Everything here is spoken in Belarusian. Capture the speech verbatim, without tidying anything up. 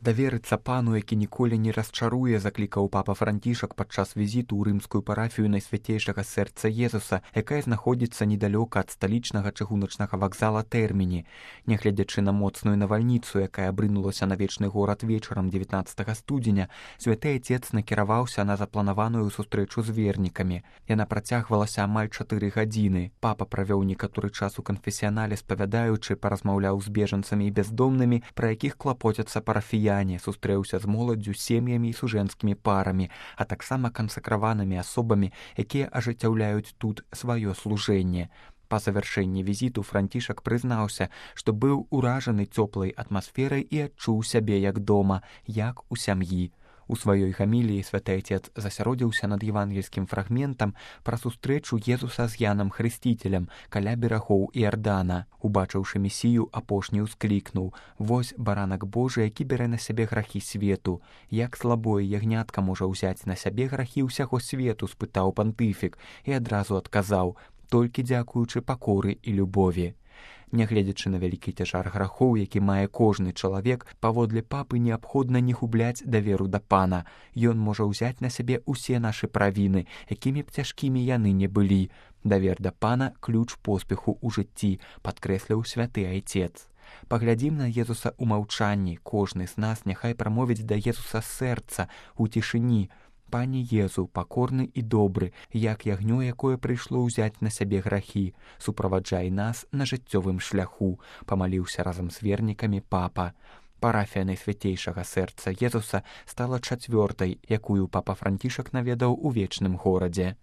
Даверыцца пану, які ніколі не расчаруе, заклікаў папа Францішак падчас візіту ў рымскую парафію Найсвяцейшага сэрца Езуса, якая знаходзіцца недалёка ад сталічнага чыгуначнага вакзала Тэрміні. Нягледзячы на моцную навальніцу, якая абрынулася на вечны горад вечарам дзевятнаццатага студзеня, святы айцец накіраваўся на запланаваную сустрэчу з вернікамі. Яна працягвалася амаль чатыры гадзіны. Папа правёў некаторы час у канфесіянале, спавядаючы, паразмаўляў з бежанцамі і бяздомнымі, пра якіх клапоцяцца парафіяне, сустрэўся з моладдзю, сем'ямі і сужэнцкімі парамі, а таксама кансакраванымі асобамі, якія ажыццяўляюць тут сваё служэнне. Па завяршэнні візіту Францішак прызнаўся, што быў уражаны цёплай атмасферай і адчуў сябе як дома, як у сям'і. У сваёй гаміліі святы айцец засяродзіўся над евангельскім фрагментам пра сустрэчу Езуса з Янам Хрысціцелем каля берагоў Іардана. Убачыўшы месію, апошні ўсклікнуў: «Вось баранак Божы, які бярэ на сябе грахі свету». Як слабое ягнятка можа ўзяць на сябе грахі ўсяго свету, спытаў пантыфік і адразу адказаў: «Толькі дзякуючы пакоры і любові». Нягледзячы на вялікі цяжар грахоў, які мае кожны чалавек, паводле папы неабходна не губляць даверу да пана. Ён можа ўзяць на сябе ўсе нашы правіны, якімі б цяжкімі яны не былі. Давер да пана – ключ поспеху ў жыцці, падкрэсліў святы айцец. Паглядзім на Езуса ў маўчанні. Кожны з нас няхай прамовіць да Езуса сэрца ў цішыні: «Пане Езу, пакорны і добры, як ягнё, якое прыйшло ўзяць на сябе грахі, суправаджай нас на жыццёвым шляху», памаліўся разам з вернікамі папа. Парафія Найсвяцейшага сэрца Езуса стала чацвёртай, якую папа Францішак наведаў у вечным горадзе.